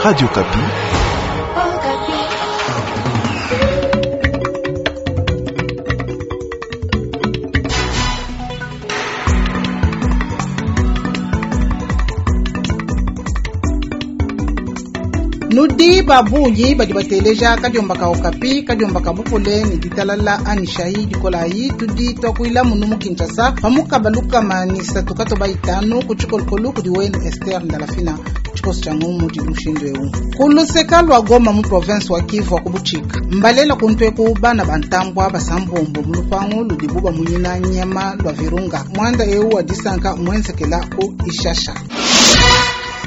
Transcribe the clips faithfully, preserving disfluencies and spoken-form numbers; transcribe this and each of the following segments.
Radio Okapi. Nudi babungi badi bateleja kadiomba ka Okapi, kadiomba ka bupole ne ditalala ani shahi dikolayi. Tudi twakuila munu mu Kinshasa pamukaba lukama ni satu katoba itanu ku tshikolokolo kudi wenu Esther Ndalafina. Tshikoso tshia ngumu tshidi mushindu eu kuluseka lwa Goma mu province wa Kivu wa kubutshika mbalela kuntweku bana bantambwa basambombo mu lupangu ludibu bamunyina nyama lwa Virunga. Mwanda eu wa disanka mwenzekela ku Ishasha.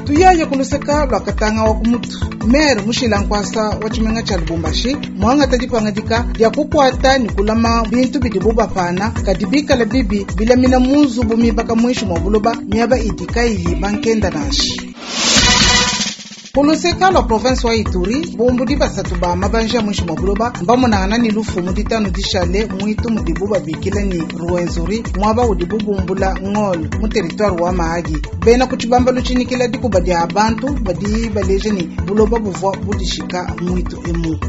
Tuyaye kuluseka lwa Katanga wa kumutu mere mushila nkwasa wa tshimenga tsha Lubumbashi mwangata dipangadika dia kukwata ni kulama bintu bidibu bapana kadi bikala bibi bilamina mu nzubu mibaka muinshi mua buloba miaba idi kayiyi bankenda nansha. Kuluseka lwa province wa Ituri bumbudi basatu ba mabanja ya muinshi mua buloba mbamonangana ni lufu mu ditanu dishale muitu mudibu babikila ni Ruwenzori muaba udibu bumbula ngolo mu territoire wa Mahagi. Bena ku tshibamba lutshinyikila dikuba dia bantu badi baleje ni buloba buvua budishika muitu emu.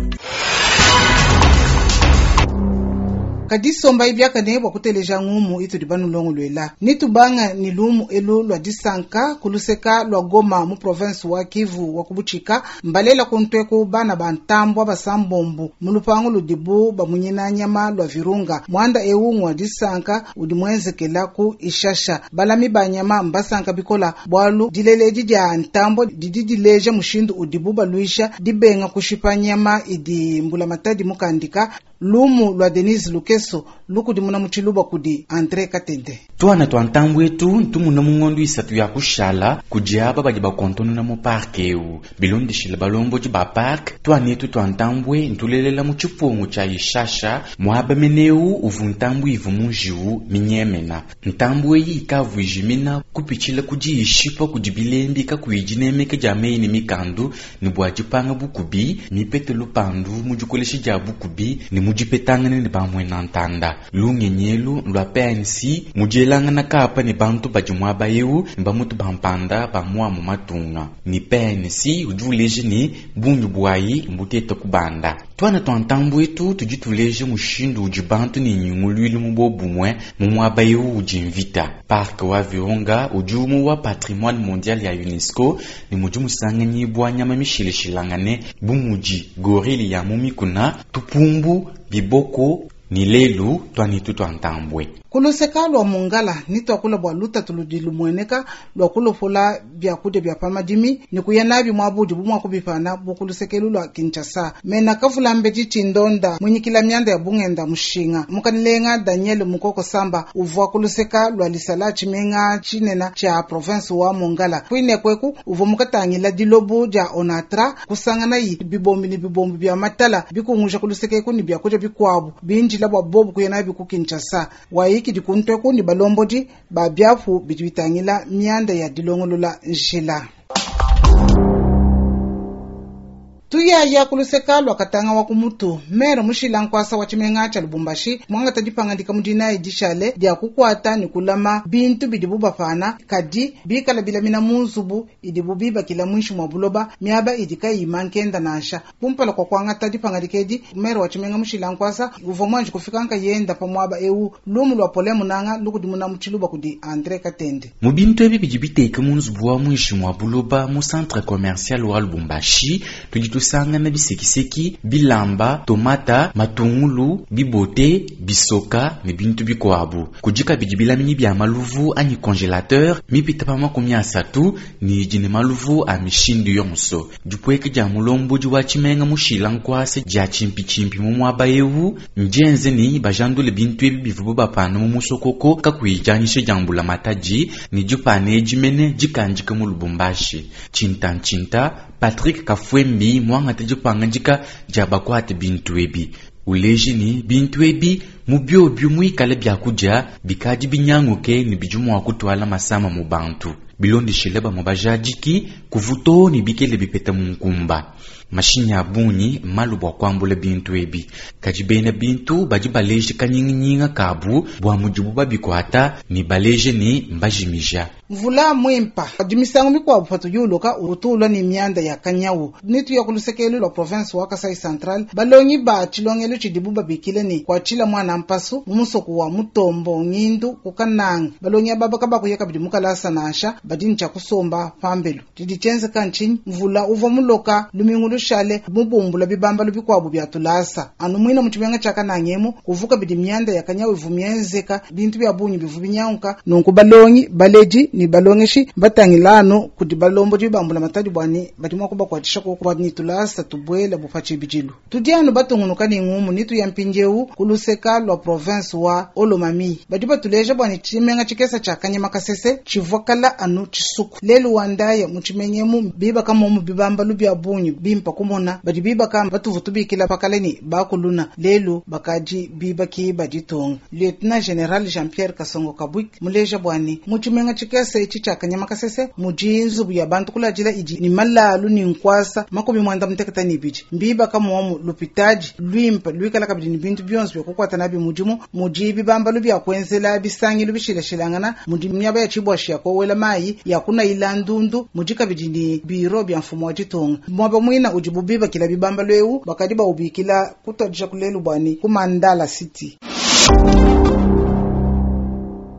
Kadi somba ibiakane bua kuteleja ngumu itudi banulongoluela nitubanga ni lumu elu lwa disanka kuluseka lwa Goma mu province wa Kivu wa kubutshika mbalela kuntweku bana bantambwa basambombo mu lupangu ludibu bamunyina nyama lwa Virunga. Mwanda eu ngwa disanka udi mwenzekela ku Ishasha. Balami ba nyama mbasanka bikola bwalu dileledi dia ntambo didi dileja mushindu udibu baluisha dibenga kushipa nyama idi mbulamatadi mukandika. Lumu lwa Denise Lukeso lukudimuna mu tshiluba kudi Andre Katende. Twana twa ntambu etu ntumuna mu ngondu isatu ya kushala kudi aba badi bakontonona mu parke eu bilondeshile balombodi ba parke. Twana etu twa ntambue ntulelela mu tshipungu tshia Ishasha muaba meneu uvu ntambu ivu mu njiwu minyemena. Ntambu eyi ikavu ijimina kupitshila kudi ishipa kudi bilembi kakuyi dinemeka dia meyi ne mikandu ne bua dipanga bukubi mipete lupandu mu dikolesha dia bukubi ne mu dipetangana ne bamwena ntanda. Lungenyelu lwa P N C mudielangana kapa ne bantu badi muaba eu ne bamutu bampanda ba mua mu matunga. Ni P N C udi uleja ne bungi bwayi mbutete kubanda. Twana twa ntambu etu tudi tuleja mushindu udi bantu ne nyunguluilu mu bobumwe mu muaba eu udi mvita. Parc wa Virunga udi umwe wa patrimoine mondial ya UNESCO ne mudi musanganyibwa nyama mishileshilangane bu mudi gorille ya mu mikuna, tupumbu, biboko ni lelu twanitu twa ntambwe. Kuluseka lwa Mongala ni twakula bua lutatu ludi lumueneka lwa kulopola biakudia bia pamadimi ni kuya nabi muabudi bu mua kubipana bu kulusekelu lwa Kinshasa. Mena kavula mbedi tshindonda munyikila mianda ya bungenda mushinga. Mukanilenga Daniel Mukoko Samba uvua kuluseka lwa lisala tshimenga tshinena tshia province wa Mongala. Kuine kweku uvua mukatangila dilobu dia Onatra kusangana yi bibombi ni bibombi bia matala bikunguja kulusekeku ni biakudia bikuabu binjila bua bobu kuya nabi ku Kinshasa. Wayi kidi kuntweku ni balombodi ba biapu bidi bitangila mianda ya dilongolola njila. Tuyaya kuluseka lwa Katanga wa kumutu mere mushila nkwasa wa tshimenga tsha Lubumbashi mwangata dipangadika mu dinayi dishale dia kukwata ni kulama bintu bidibu bapana kadi bikala bilamina mu nzubu idibu bibakila muinshi mua buloba miaba idi kayi mankenda nansha. Kumpala kwa kuangata dipangadika edi mere wa tshimenga mushila nkwasa uvua muanji kufika nkayenda pa muaba eu. Lumu lwa Pole Munanga lukudimuna mu tshiluba kudi Andre Katende. Mu bintu ebi bidi biteka mu nzubu wa muinshi mua buloba mu centre commercial wa Lubumbashi tudi tusangana bisekiseki, bilamba, tomata, matungulu, bibote, bisoka ne bintu bikuabu. Kudi kabidi bilaminyi bia maluvu anyi congélateur mipita pa makumi asatu ne idi ne maluvu a mishindu yonso. Dipueka dia mulombodi wa tshimenga mushila nkwase dia tshimpitshimpi mu muaba eu ndienze ne bajandule bintu ebi bivua bapana mu musokoko kakuyi dianyisha dia mbulamatadi ne dipana edi mene dikandika mu Lubumbashi. Tshinta-tshinta Patrick Kafwembi mwangata dipangadika dia bakwate bintu ebi. Uleji ni bintu ebi mu biobio muikale biakudia bikadi binyanguke ne bidi mua kutwala masama mu bantu. Bilondeshile bamwe bajadiki kuvuto ne bikele bipeta mu nkumba. Mashinyi a bungi malu bua kuambula bintu ebi. Kadi bena bintu badi baleje kanyinginyinga kabu bua mudibu babikuata ne baleje ne mbajimija. Mvula mwimpa adi misangu mikuabu patudiuloka utulwa ni mianda ya kanyawu. Nitu ya kulusekelu lwa province wa Kasai Central balongi ba chilongelo chidibu babikile ni kwachila mwana mpasu mumusoku wa mutombo ngindu kukananga balongi ababa kabakuya kabidi mukalasa nasha badini cha kusomba pambelu didi chenzeka nchinyi mvula uvwa muloka lumingu lushale mubumbula bibamba lubikwabu bya tulasa anu mwina muchibenga cha kanangemu kuvuka bidi mianda ya kanyawu ivumienzeka bintu bya bunyi bivu binyauka nunku balongi baleji ni balongeshi batangilano kudi balombo dibambula matadi bwani badi mwa kubakwatisha ko kwa nitulasa tubwela bupachi bijilu tudiano batungunuka ni ngumu nitu ya mpinjewu kuluseka lwa province wa Olomami badi batuleja bwani chimenga chikesa cha Kanyama Kasese chivwakala anu chisuku lelu wandaya muchimenyemu biba kama mu bibamba lubya bunyi bimpa kumona badi biba kama batuvutubikila pakaleni bakuluna lelu bakaji biba ki baditonga Lieutenant General Jean-Pierre Kasongo Kabwik muleja bwani muchimenga chikesa ichi cha Kanyama Kasese mujinzu ya bantu kulajila iji ni malalu ni nkwasa makomi mwanda muteketa ni biji mbiba kama lupitaji lwimpa lwikala kabidi ni bintu byonse byokukwata nabi mujimu mujibi bamba lubya kwenzela bisangi lubishilashilangana muji myaba ya chibwashi yakowela mayi yakuna ilandundu muji kabidi ni biro bya mfumo wa jitonga mwaba mwina ujibubiba kila bibamba lwewu bakadi baubikila kutwadisha kulelu bwani kumandala city.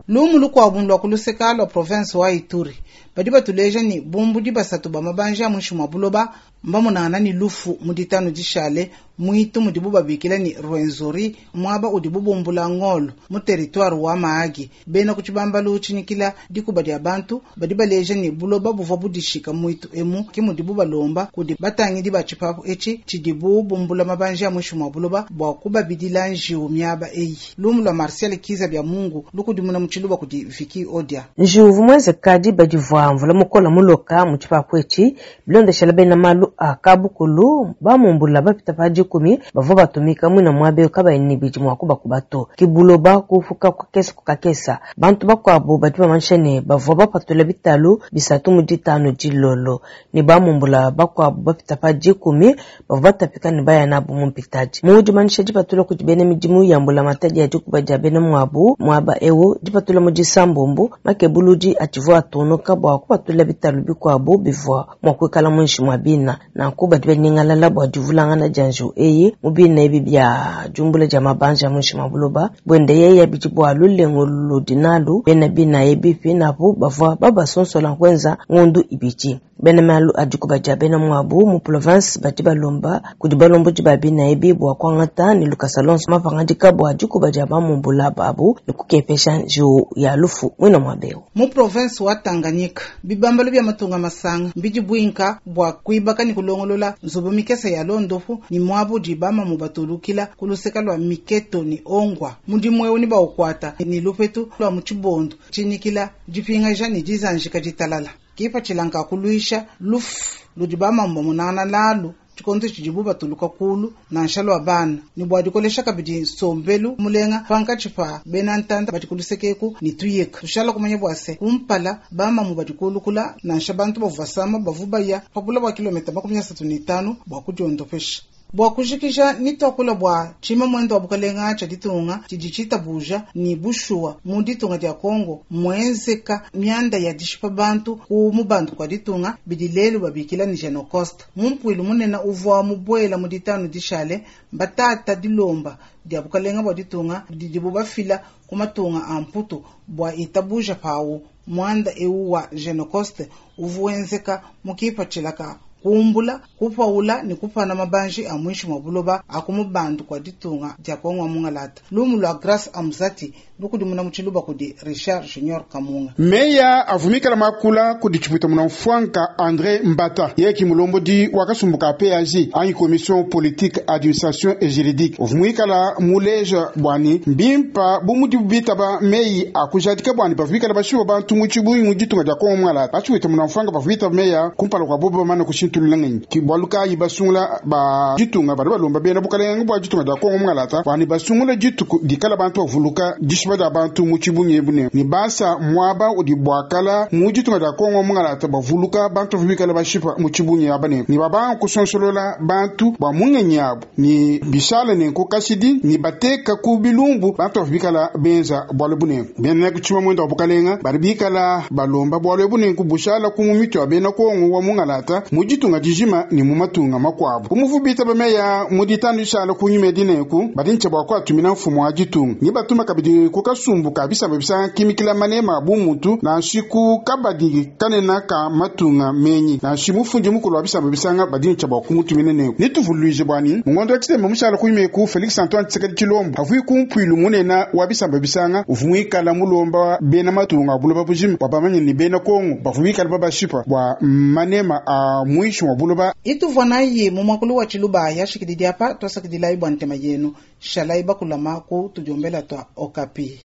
Lumu lukwabu lwa kuluseka lwa province wa Ituri badi batuleja ni bumbudi basatu ba mabanja mushi mwa buloba mbamunana ni lufu muditano dishale mwitu mudibu babikila ni Rwenzori mwaba udibu bumbula ngolo mu territoire wa Mahagi bena kuchibamba luchinikila dikuba dia bantu badi baleja ni buloba buvwa budishika mwitu emu ki mudibu balomba kudi batangidi ba chipapu echi chidibu bumbula mabanja mushi mwa buloba bwa kubabidila njiwu miaba eyi. Lumu lwa Marcel Kiza bya Mungu lukudimuna muchiluba kudi Viki Odia njiwu mweze kadi badivwa mvula mukola muloka muchipapu echi bilondeshela bena malu akabukulu bamumbula bapita pa dikumi bavua batumika mwina mwabe kabayi bidi mwa kubakubato kibuloba kufuka kukesa kukakesa bantu bakuabu badi bamanyisha ne bavua bapatula bitalu bisatu mu ditanu dilolo ne bamumbula bakuabu bapita pa dikumi bavua batapika ne baya nabu mu mpitaji mu dimanyisha dipatula kudi bena midimu ya mbula matadi ya dikuba dia bena mwabu mwaba ewu dipatula mu disambombo makebuludi ativua atonoka bua kupatula bitalu bikuabu bivua mwa kuikala muinshi mwa bina nanku badi baningalala bua divulangana dia njiwu eyi mu bina ebi bya jumbula dia mabanja muinshi mwa buloba bwende yeya bidi bua lulengo ludi nalu bena bina ebi pinapu bavua babasonsola kwenza ngondu ibidi bena malu adikuba dia bena mwabu mu province badi balomba kudi balombodi ba bina ebi bua kuangata ne lukasa lonso mapangadika bua dikuba dia bamumbula babu ne kukepesha njiwu ya lufu mwina mwabewu mu province wa Tanganyika bibambalo bya matunga masanga mbidi bwinka bua kuibaka ni kulongolola nzubu mikesa ya londofu ni mwabu dibama mu batulukila kuluseka lwa miketo ni ongwa mudimu ewu ni baukwata ni lupetu lwa muchibondo chinikila dipingaja ni dizanjika ditalala kipa chilanka kuluisha lufu ludibama mbamunana lalu chikondo chidibu batuluka kulu nansha lwa bana ni bwa dikolesha kabidi nsombelu mulenga pankachi pa bena ntanda badikulusekeku ni tuyeka tushala kumanya bwase kumpala bamamu badikulukula nansha bantu bavua bavubaya pabula bwa kilomita makumi asatu ni tano bwa kudiondopesha bwa kujikisha nitwakula bwa chima mwendo wa bukalenga cha ditunga chidi chitabuja ni bushuwa mu ditunga dia Kongo mwenzeka mianda ya dishipa bantu ku mubantu kwa ditunga bidi lelu babikila ni Genocost mumpwilu munena uvwa mubwela mu ditanu dishale mbatata dilomba dia bukalenga bwa ditunga didibu bafila ku matunga a mputu bwa itabuja pawu mwanda ewu wa Genocost uvuwenzeka mukipa chilaka kumbula kupaula ni kupana mabanji a mwishi mwa buloba akumubandu kwa ditunga dia Kongo mungalata lumu lwa Grace Amzati lukudimuna muchiluba kudi Richard Junior Kamunga meya avumikala makula kudi chiputa muna mfwanka André Mbata yeki mulombodi wakasumbuka P A J anyi commission politique administration et juridique uvumikala muleja bwani mbimpa bumudi bitaba meyi akujadika bwani bavumikala bashiwa bantu muchibuyi mu ditunga dia Kongo mungalata bachiwita muna mfwanka bavumita meya kumpala kwa bobo mana kushintulula ngenyi ki bwalu kayi basungula ba ditunga badi balomba bena bukalenga bwa ditunga dia Kongo mungalata bwani basungula dituku dikala bantu bavuluka dishipa dia bantu mu tshibungi ebu ne ni basa mwaba udi bwakala mu ditunga dia Kongo mungalata bavuluka bantu bikala bashipa mu tshibungi aba ne ni babanga kusonsolola bantu bwa mungenyi abu ni bishala ne kukashidi ni bateka ku bilumbu bantu bikala benza bwalu bune bena kuchima mwenda wa bukalenga bari bikala balomba bwalu bune kubushala ku mu mitu ya bena Kongo wa mungalata mu ditunga dijima ni mu matunga makwabu kumuvubita bameya mu ditanu ishala kunyuma dineku badi nche bwa kwatumina mfumo wa ditunga ni batuma kabidi kukasumbu kabisa babisa kimikila manema bumutu na nshiku kabadi kanena ka matunga menyi na nshimufundi mukulu wa bisamba bisanga badi nche bwa kumutumina neku nituvuluije bwani mungondo wa tshitembe mushala kunyuma ku Felix Antoine Tshisekedi Tshilombo avui kumpwilu munena wa bisamba bisanga uvumwikala mulomba bena matunga buloba bujima bwa bamanye ni bena Kongo bavumwikala babashipa bwa manema a mwisho wa buloba Ituvua nayi mu mwakulu wa tshiluba yashikididi apa twasakidila bwa ntema yenu shalayi bakulama ku tudiombela twa Okapi.